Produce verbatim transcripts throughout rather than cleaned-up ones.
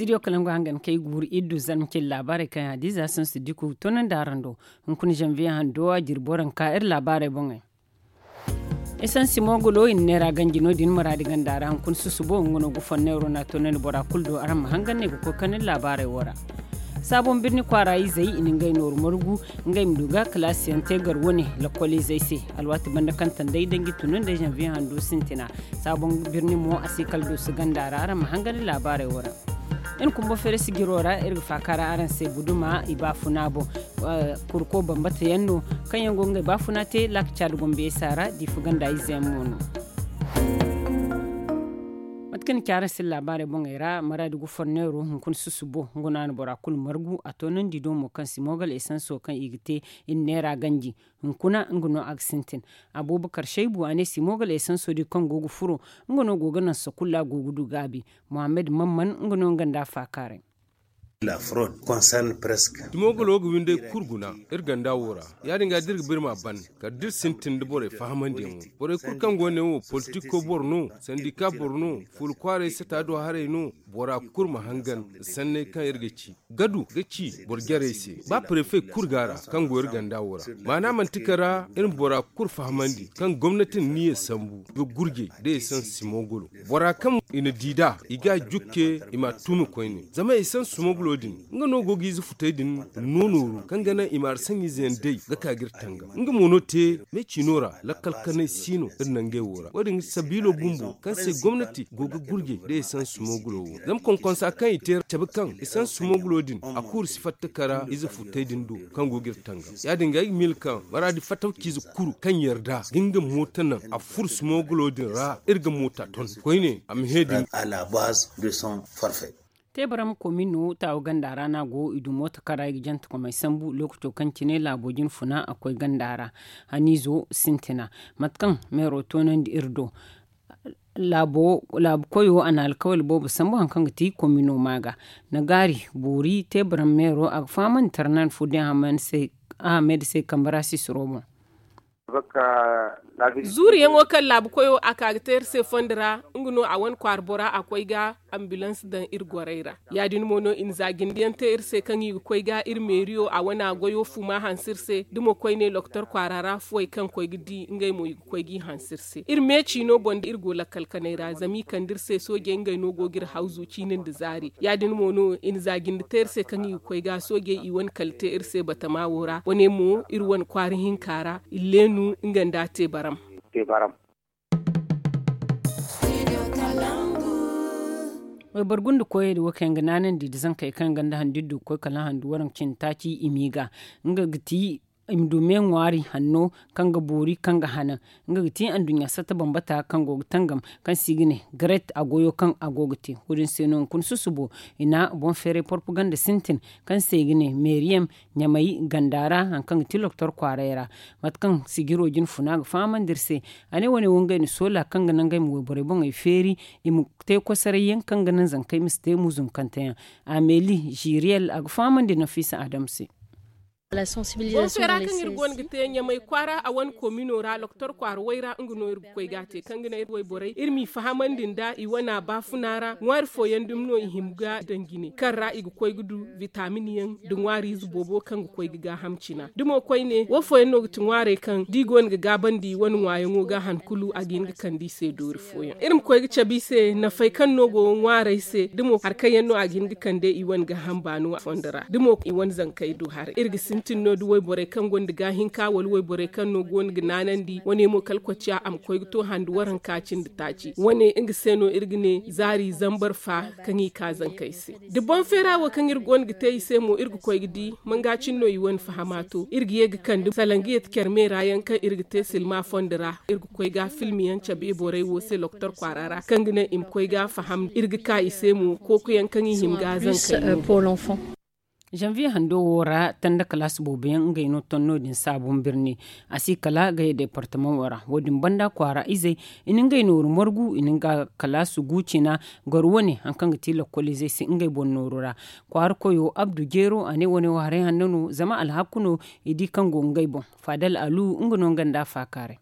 Studio kalangu hangan kay guuru iddu zarma cin laabaarey kaŋ yaŋ a diiza sansu diku toonandi araŋ do. Hunkuna zanviye hando a jirbo ra ka iri laabaarey boŋey. Esansi moogulo i na neera ganji no- din maraadi ganda ra hunkuna susubo nga no ga fonneero no a toonandi bora kulu do araŋ ma hangan ne ga koy kande laabaarey wo ra. Saabon birni kwaara izey i na ngey nooru margu ngey ma du ga kalaasiyaŋ te gar wane lakkol izey se. Alwaati banda kaŋ tandey danji tunandi zanviye hando sintina. Saabon birni mo a si kala dooso ganda ra araŋ ma hangan laabaarey wo ra. Iri kumbo feere sijiro ra iri ga faaka ra araŋ se buduma i baafuna boŋ. Kurko bambata yaŋ no kaŋ yaŋ go ga ngey baafuna te laaka caada gombe saara diifa ganda ize yaŋ mo no. Mate kaŋ ni ci araŋ se laabaarey boŋey ra maraadi ga forneero hunkuna susubo nga no a na bora kulu margu a toonandi do mo kaŋ si moogal esanso kaŋ i ga te i na neera ganji. Hunkuna nga no a ga sintin. Abubakar shaybu a ne si moogal esanso din kaŋ go ga furo nga no go ga naŋ sakulla go ga du gaabi. Muhammad mamman nga no nga nda a faakaaray. Timogolo ga winday kulu guna iri ganda wo ra. Ya- din ga da iri ga ba iri m'a ban kala da iri sintin da borey fahamandiyaŋo. Borey kulu kaŋ go ne wo politiko boro no, sandika boro no, fuula kwaaray sata do haray no. Bora kulu ma hangan sanney kaŋ iri ga ci gadu ga ci boro jarey se ba prefe kulu ga ra kaŋ go iri ganda wo ra. Maana manti kala ra iri ma bora kulu fahamandi kaŋ gomnati na niya sambu ga gurjey da esansi moogolo. Bora kaŋ i na di nd'a i ga a jukke i m'a tuumi koyne. Zama esansi moogolo din nga no go ga ize futey din no nooru kaŋ ga naŋ i ma hari saŋiize yaŋ day ga ka ga iri tangam nga mo no te. Me ciino ra lakkal kanay si no iri nangey wo ra wo- din sabiilo bumbo kaŋ se gomnati go ga gurjey da esansi moogolo wo zama konkonsa kaŋ i te cabe kaŋ esansi moogolo din a kuuru si fatta kara ize futey din do kaŋ go ga iri tangam. Ya- din ga ay ga miila kaŋ maraadi fattaw ciize kuru kaŋ yarda ga nga mooto naŋ a furo si moogolo din ra iri ga moota ton koyne a ma he din. Teebaram komino taawu ganda ra no a go i du mooto kaŋ ra i ga jante komey sambu lookaco kaŋ cine laabo jinfuna a koy ganda ra. Haniizo sintina mate kaŋ meero toonandi iri do. Laabu koyo a na alkawali boobo sambu hari kaŋ ga ti komino ma ga nagaari boori teebaram meero a ga fahamandi tarnan fo din ahamed se kambe ra sisiro boŋ. Zuuriyaŋo kaŋ laabu koyo a ka ga te iri se fondo ra nga no a wane kwaara bora a koy ga ambulans daŋ iri gorey ra. Ya- din mo no i na za jindiyaŋ te iri se kaŋ i ga koy ga iri meeriyo a wane a goyo fuma hanse iri se da mo koyne lokotor kwaara ra fuwey kaŋ koy ga di ngey mo i ga koy g'i hanse iri se iri me ciino boŋ da iri go lakkal kanay ra zama i kande iri se soojey ngey no go ga iri hawzu ciini nda zaari. Ya- din mo no i na za jinde te iri se kaŋ i ga koy ga soojey i wane kala te iri se batama wo ra wane mo iri wane kwaara hinka ra. Illeenu nga nda a te baram. Wayboro gunda koyey din wo kaŋ yaŋ ga naanandi nda zankey kaŋ yaŋ gonda handu iri du ga koy kala handu waranka cindi taaci i m'i ga nga ga ti i ma du me ŋwaari hanno kaŋ ga boori kaŋ ga hanan. Nga ga ti anduɲɲa satta bambata kaŋ go ga tangam kaŋ se i ga ne garet a goyo kaŋ a go ga te wo- din se no hunkuna susubo i na boŋ feeray porpaganda sintin kaŋ se i ga ne meeriyam ɲamay ganda ra hari kaŋ ga ti lokotor kwaaray ra. Mate kaŋ sijiro jinfuna ga fahamandi iri se a ne wane wo ngey na soola kaŋ ga naŋ ngey ma wayborey boŋey feeri i ma te kosoray yaŋ kaŋ ga naŋ zankey ma si te muzumkante yaŋ. Ameeli ziriyel a ga fahamandi nafiisa adam se. Boŋ feera kaŋ iri go no ga te ɲamay kwaara a wane komino ra lokotor kwaara way ra nga no iri ga koy ga a te kaŋ ga naŋ iri wayborey iri m'i fahamandi nd'a i wane a baafuna ra ŋwaari fooyaŋ dumi no i hima ga daŋ jine kaŋ ra i ga koy ga du bitamin yaŋ nda ŋwaariize boobo kaŋ ga koy ga gaaham cina da mo koyne wo fooyaŋ no ga ti ŋwaarey kaŋ da i go no ga gaabandi i wane ŋwaayaŋo ga han kulu a ga hin ga kande i se doori fooyaŋ iri ma koy ga cabe i se nafey kaŋ no go ŋwaarey se da mo hari kaŋ yaŋ no a ga hin ga kande i wane gaaham baano fondo ra da mo i wane zankey du haray iri ga sintin no da wayborey kaŋ gonda gaahinka wala wayborey kaŋ no go no ga naanandi wane mo kala koociya a ma koy ga to handu waranka cindi taaci wane nga se no iri ga ne zaari zambar fa kaŋ i ka zankey se da boŋ feera wo kaŋ iri go no ga te i se mo iri ga koy ga di manga cine no i wane fahama to iri ga ye ga kande salangiya ti care meera yaŋ kaŋ iri ga te silma fondo ra iri ga koy ga filmi yaŋ cabe borey wo se lokotor kwaara ra kaŋ ga naŋ i ma koy ga faham iri ga ka i se mo kooku yaŋ kaŋ i hima ga zankey no. Zanviye hando wo ra tanda kalaasi boobo yaŋ ngey no ton no- din saabun birni a si kala gaya departamaŋo ra wo- din banda kwaara izey i na ngey nooru margu i na nga kalaasi gu cina gar wane hari kaŋ ga ti lakkol izey se ngey boŋ nooru ra. Kwaara koyo abdu jeero a ne wane wo haray hanno no zama alhaku no i di kaŋ go ngey boŋ. Faadal alu nga no nga nda a faakaaray.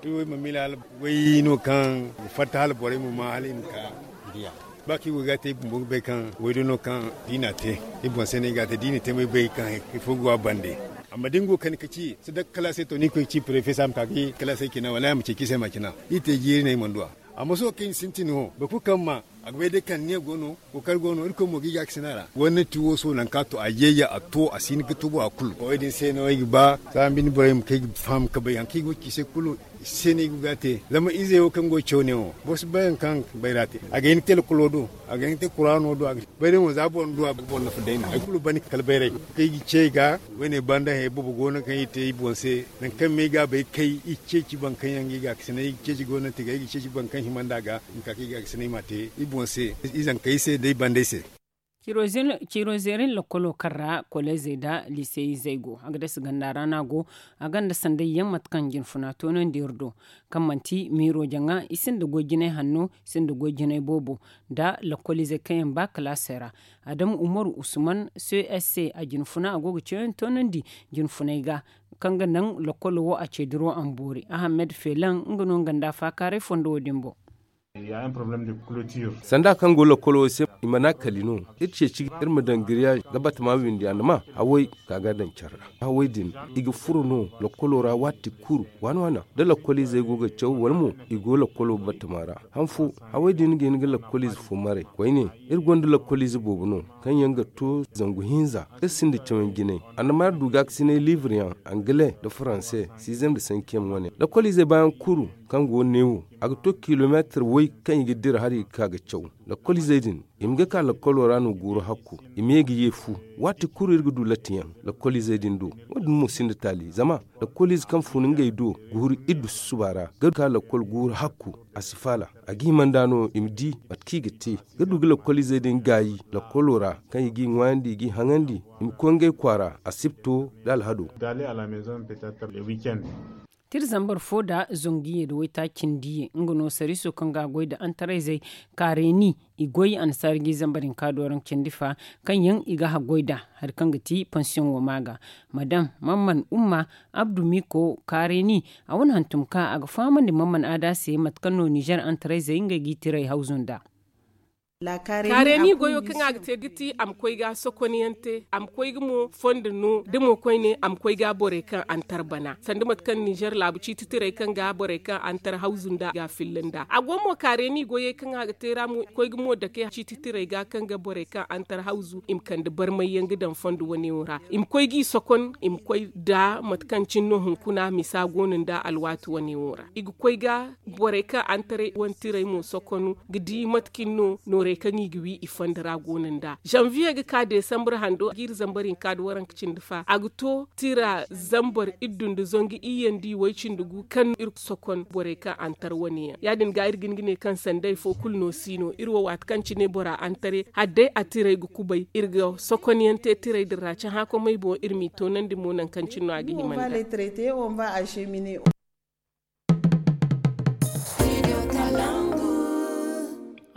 Iri wo i ma miila hala way no kaŋ i fatta hala borey ma ma hala i ma ka diya. Ba kaŋ i go ga te i bumbo ga bay kaŋ waydo no kaŋ da i n'a te i boŋ se no i ga a te da i na te mo i bay kaŋ hari fo go a bande. Amma da ni go ga kande ka ci sadaka kalaasey to ni koy ga ci prefe se a ma ka ga kalaasey cina wala a ma ceeci se ma cina. I te jiiri no i mana du a. Amma sohõ kaŋ i sintin wo boro kulu kaŋ ma a ga bay day kaŋ ne go no. Kookari go no irkoy mo ga i ga a ga sina ra. Gomnati wo sohõ nangu kaŋ a to a yeeya a to a si hin ga tubu a kulu wo- din se no ay ga ba saambi ni borey ma kay ga faham ga bay hari kaŋ i go ga ci se kulu. I se no i go ga a te zama izey wo kaŋ go ga caw ne wo boro si bay hari kaŋ bayra te. A ga hin ga te lakolo do a ga hin ga te kuraano do a ga bay day mo za boro na du a ga boro nafa day no hari kulu banda kala bayray kaŋ i ga ce i ga. Wo- ne banda he boobo go no kaŋ i te i boŋ se nangu kaŋ me i ga a bay kay i ceeci boro kaŋ yaŋ ga i ga a ga sina i ga ceeci gomnati ga i ga ceeci boro kaŋ hima nd'a ga i ma ka kaŋ i ga a ga sina i m'a te i boŋ se. I zankey se da i bandey se. Ciiro zeerin lakkolo kaŋ ra koleezey nda liisey izey go a ga dasa ganda ra no a go. A gonda sanday yaŋ mate kaŋ jinfuna toonandi iri do kaŋ manti miiro jaŋa i sinda goy jinay hanno i sinda goy jinay boobo nda lakkol izey kaŋ yaŋ ba kalaasey ra. Adamu umaru usman c s c a jinfuna a go ga ceeyaŋ toonandi jinfunay ga kaŋ ga naŋ lakkolo wo a ce diro a ma boori ahamed feelaŋ nga no nga nda faakaaray fondo wo- din boŋ. Sanda kaŋ go lakkolo wo se i mana kali no. Iri ceeci iri ma daŋ giriyaaz ga batama windi a na ma hawey ka ga daŋ care ra. Hawey din i ga furo no lakkolo ra waati kulu waana waana da lakkol izey go ga caw wala mo i go lakkolo batama ra. Han fo hawey din ga hin ga lakkol ize fo maray koyne. Iri gonda lakkol ize boobo no kaŋ yaŋ ga to zangu hinza iri sinda cawyaŋ jinay. Annama iri du gaakasinay liibur yaŋ angale nda faranse siizem nda sankiyaŋ wane lakkol izey baayaŋ kulu kaŋ go neewo a ga to kilomeetir way kaŋ i ga dira hari ga ka ga caw. Lakkol izey din i ma ga ka lakkolo ra no guuru hakku i ma ye ga ye fu. Waati kulu iri ga du lattiyaŋ lakkol izey din do. Wo- din mo sinda taali zama lakkol ize kaŋ fun ngey do guuru iddu susuba ra ga ka lakkol guuru hakku a si faala. A ga hima nd'a no i ma di mate kaŋ i ga te ga du ga lakkol izey din gaayi lakkolo ra kaŋ i g'i ŋwaayandi i g'i haŋandi i ma koy ngey kwaara asibto nda alhado. Tira zambar fo nda zangu iyye nda waytaaci cindi iyye nga no sariiso kaŋ ga a goy nda antarayzey kaareeni i goy annasaara ga i zambar hinka dooraŋ cindi fa kaŋ yaŋ i ga haggoy nd'a hari kaŋ ga ti pansiyoŋ wo ma ga madam mamman umma abdu miko kaareeni. A wane hantum ka a ga fahamandi mamman aada se mate kaŋ no nizer antarayzey ngey ga i tiray hawzu nd'a. Kaareeni goyo kaŋ a ga te ga ti a ma koy ga sokonyaŋ te a ma koy ga mo fondo no da mo koyne a ma koy ga borey kaŋ antar bana sanda mate kaŋ ninzeer laabu ciiti tirey kaŋ ga borey kaŋ antar hawzu nda ga filla nda a go mo kaareeni goyey kaŋ a ga te ra mo koy ga mo dake ciiti tirey ga kaŋ ga borey kaŋ antar hawzu i ma kande barmay yaŋ ga daŋ fondo wane wo ra i ma koy g'i sokon i ma koy nda mate kaŋ cine no hunkuna misa go no nda alwaati wane wo ra i ga koy ga borey kaŋ antaray wantirey mo sokonu ga di mate kaŋ no noorey kaŋ i ga wi i fondo ra go no nd'a zanviye ga ka desambre hando ga iri zambar hinka nda waranka cindi fa a ga to tira zambar iddu nda zangu iyye nda iway cindi gu kaŋ iri sokon borey kaŋ antar wane yaŋ ya- din ga iri ga hin ga ne kaŋ sanday fo kulu no si no iri wo waati kaŋ cine bora antaray hala day a tiray ga kubay iri ga sokonyaŋ te tiray din ra cahã komey boŋ iri m'i toonandi mo nangu kaŋ cine no a ga hima nd'a.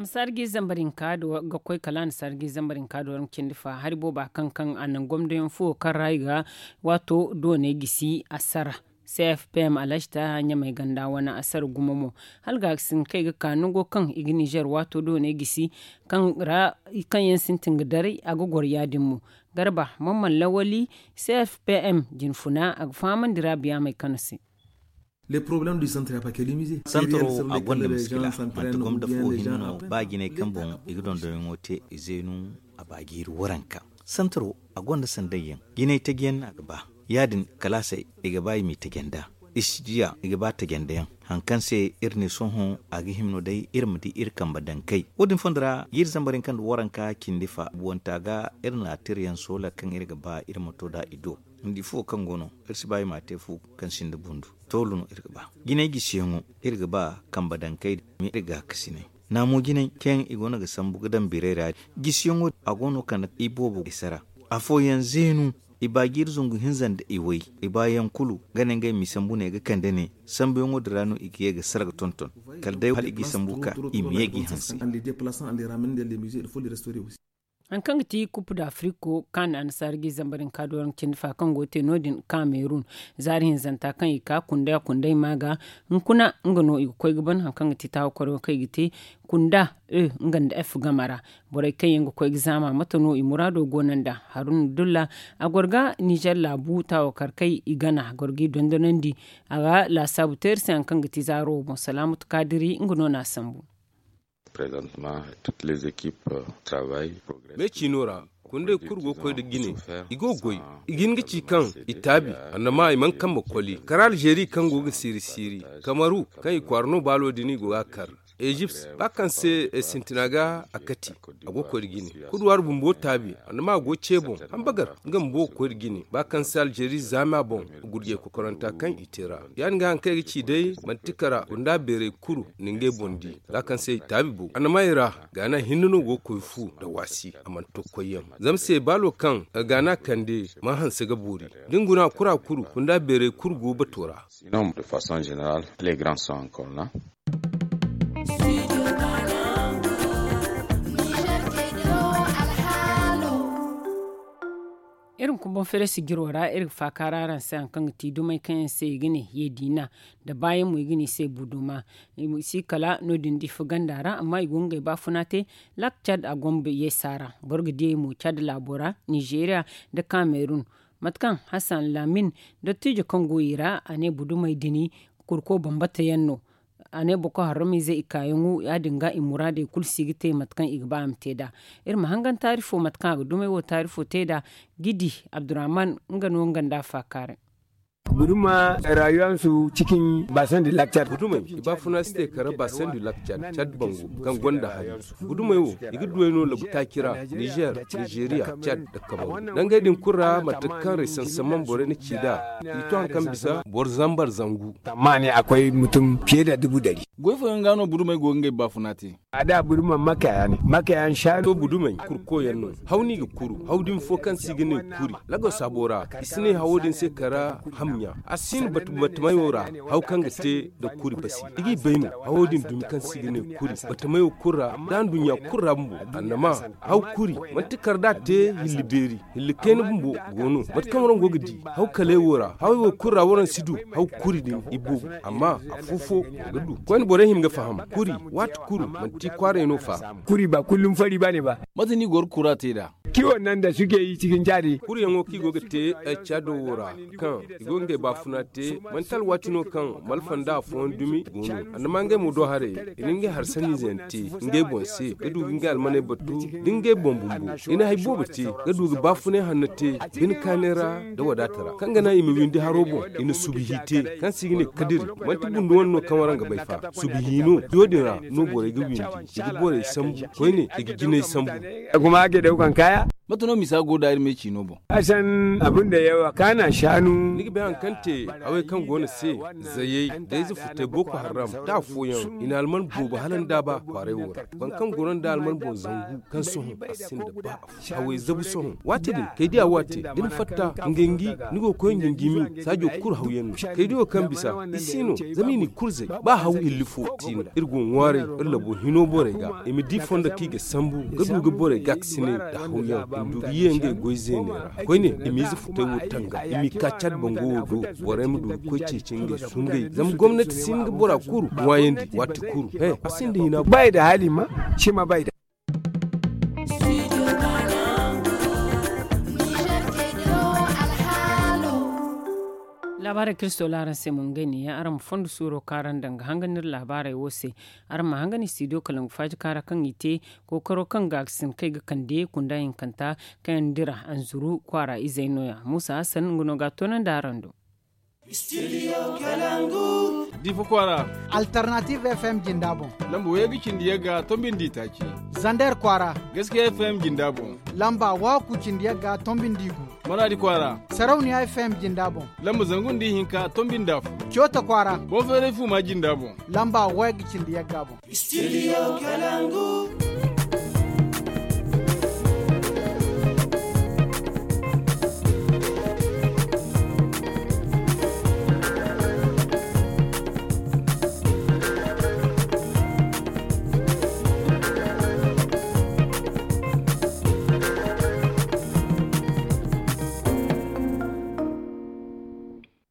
Annasaara ga i zambar hinka ga koy kala annasaara ga i zambar hinka do rangu cindi fa hari booba kaŋ kaŋ a naŋ gomdoyaŋ fo kaŋ ra i ga waato dooney gisi a sara. C F P M alhaji taaha ɲamey ganda wane a sara gumo mo hala ga ga sintin kaŋ i ga ka nango kaŋ i ga nizer waato dooney gisi kaŋ ra kaŋ yaŋ sintin ga daray a ga goro ya- din mo. Garba mamman lawali c f p m jinfuna a ga fahamandi raabiya may kano se. Santaro a gonda miskila manti gomda fo hinne no ba jinay kaŋ boŋ i ga dondonyaŋo te i zeenu a ba jiiri waranka. Santaro a gonda sanday yaŋ jinay taji yaŋ no a ga ba ya- din kalaasey i ga ba i m'i taji nd'a. Istidiya i ga ba taji nda yaŋ hari kaŋ se iri ne sohõ a ga hima no day iri ma di iri kambe dankey wo- din fondo ra jiiri zambar hinka nda waranka cindi fa buwanta ga iri na tira yaŋ soola kaŋ iri ga ba iri ma to nd'a i do. Ni di fuwo kaŋ go no iri si ba i m'a te fu kaŋ sinda bundu. Toolu no iri ga ba jinay gisiyaŋo iri ga ba kambe dankey da iri gaakasinay naamo jinay kaŋ yaŋ i go no ga sambu ga daŋ biray ra. Gisiyaŋo a go no kande i boobo i sara afooyaŋ zeenu i ba jiiri zangu hinza nda i way i baayaŋ kulu ga ne ngey ma i sambu ne ga kande ne sambuyaŋo din ra no i ga ye ga sara ga tonton kala day hala i g'i sambu ka i ma ye g'i hanse. Hari kaŋ ga ti kupu da afiriko kaani annasaara ga i zambar hinka dooraŋ cindi fa kaŋ go ga te no- din kamerun, zaari hinzanta kaŋ i ka kunda kundey ma ga, hunkuna nga no i ga koy ga ban hari kaŋ ga ti taawa kwaryaŋo kaŋ i ga te kunda e nga nda f game ra. Borey kaŋ yaŋ ga koy ga zaama mate no i muraado go no nd'a. Haruna dulla a goro ga nizer laabu taawa kar kay i gana a goro ga i dondonandi. A ga laasaabu te iri se hari kaŋ ga ti zaaro wo boŋ salaamatu kaadiri nga no n'a sambu. Me ciino ra, kundey kulu go ga koy nda jine. I go ga goy. I ga hin ga ci kaŋ i taabi, annama i mana kambe koli kara alzeeri kaŋ go ga siiri siiri, kamaru kaŋ i kwaara no baalo din i go ga a kar. Ezipt ba kaŋ se sintina ga a kati, a go ga koy nda jine. Kuduwaari bumbo taabi, annama a go ga ce boŋ. Hambagar nga bumbo ga koy nda jine ba kaŋ se alzeeri zaama boŋ. Gurjey kokoranta kaŋ i te ra ya- din ga hari kaŋ ay ga ci day manti kara gunda beerey kulu na ngey boŋ di. Za kaŋ se i taabi bo annamay ra, gaana hinne no go ga koy fu nda waasi a mana to koyyaŋ. Zama se baalo kaŋ gaana kande mana hanse ga boori. Da ni guna kura kulu gunda beerey kulu go bato ra. Iri ma kumbaŋ feere sijiro ra iri ga faakaara araŋ se hari kaŋ ga ti dumey kaŋ yaŋ se i ga ne yeediina, nda baayaŋ mo i ga ne i se buduma. I si kala no- din da i fo ganda ra amma i go ga ngey baafuna te. Lak cad a go ma yeesa ra. Boro ga diyey mo cad laabo ra, nizeeriya, nda kamerun. Mate kaŋ hasan laamin, dottiijo kaŋ go i ra a ne budumey din kurko bambata yaŋ no. A ne boko haramiizey i kaayaŋo ya- din ga i muraadey kulu si ga te mate kaŋ i ga ba a ma te nd'a. Iri ma hangan taarifo mate kaŋ a ga dumey wo taarifo te nd'a. Gidi abdurrahman, nga no nga nda a faakaaray. Budumey i baafuna si te kara baasandi lakcar cad bango kaŋ gonda hari. Budumey wo i ga duwey no labu taaci ra, nizer, nizeeriya, cad, nda kamaru. Nangey din kulu ra mate kaŋ rey sansaman borey na ci nd'a, i to hari kaŋ bisa boro zambar zangu. Tammaani a koy mutum fiye da dubu dari. Goy fooyaŋ ga no budumey go ga ngey baafuna te. A da buduma makaya ne makaya nsaari. To budumey kurko yaŋ no. Haw no i ga kuru haw dumi fo kaŋ se i ga ne kuri. Lago saabo ra i si ne hawo din se kara. Hamɲa a si hin batamayo ra. Haw kaŋ ga te nda kuri basi i g'i bay no. Hawo din dumi kaŋ se i ga ne kuri batamayo kulu ra, da nduɲɲa kulu ra bumbo. Annama haw kuri manti kar da a te hilli beeri. Hilli kayna bumbo go no mate kaŋ waraŋ go ga di. Haw kaley wo ra hawey wo kulu ra waraŋ si du. Haw kuri din i boobo amma afo fo ga du koyne borey hima ga faham. Kuri waati kulu manti kwaaray no fa. Kuri ba kullum fari ba ne ba. Mate no i go ga kura te nd'a? Kiwo nan da suke yi cikin cadi. Kuriyaŋo kaŋ i go ga te cado wo ra kaŋ i go ga ngey baafuna te. Manti alwaati no kaŋ malfa nda afooyaŋ dumi go no. Annama ngey mo do haray i na ngey hari sanniize yaŋ te ngey boŋ se ga du ga ngey almaney batu. Da ngey boŋ bumbo i na hari boobo te ga du ga baafunay hanno te. Bine kaanay ra nda wadaata ra kaŋ ga naŋ i ma windi haro boŋ. I na subihi te kaŋ se i ga ne kadiri. Manti bundu wane no kaŋ waraŋ ga bay fa subihi no. Yo- din ra no borey ga windi i ga borey sambu koyne i ga jinay sambu. Mate no misa go da iri me ciino boŋ? Asan abin da yawa kaana shanu. Ni ga bay hari kaŋ te hawey kaŋ go no se. Zayey da ize futay boko haram da afooyaŋ i na alman boobo hala nda ba kwaaray wo ra. Boro kaŋ goro nda alman boŋ zangu kaŋ sohõ a sinda ba. Hawey zabu sohõ waati din kay diya waate da ni fatta ngangi ni go ga koy ngangi mi saajo kulu hawyaŋ no. Kay diyo kaŋ bisa i si no zama i n'i kulu zay. Ba haw hilli fo ti no iri go ga ŋwaaray iri labo hino borey ga i ma di fondo kaŋ i ga sambu ga du ga borey gaakasinay nda hawyaŋ i ma du ga ye ngey goy zeeney ra. Koyne i m'ize futay wo tanga i m'i ka cad bango wo do. Borey ma du ga koy ceeci ngey sungay zama gomnati si hin ga bora kuru ŋwaayandi waati kulu he a sinda hina. Bay da hali ma shima bay da. Laabaarey kaŋ iri soola araŋ se mo ngey neeya araŋ ma fondo suuro kaŋ araŋ daŋ ga hangan iri laabaarey wo se. Araŋ ma hangan i studio kalangu faaji kaara kaŋ i te kookaro kaŋ ga ga sinda kaŋ i ga kande kunda hinkanta kaŋ yaŋ dira anzuru kwaara izey no- ya muusa hasan nga no ga a toonandi araŋ do. Difa kwaara. Alternative fm jinda boŋ. Lamba wayga cindi yagga tombi nda itaaci. Zander kwaara. Gaskiya fm jinda boŋ. Lamba waaku cindi yagga tombi nda igu. Maraadi kwaara. Sarauniya fm jinda boŋ. Lamba zangu nda ihinka tombi nda afo. Coota kwaara. Boŋ feeray fuuma jinda boŋ. Lamba wayga cindi yagga boŋ. Studio kalangu.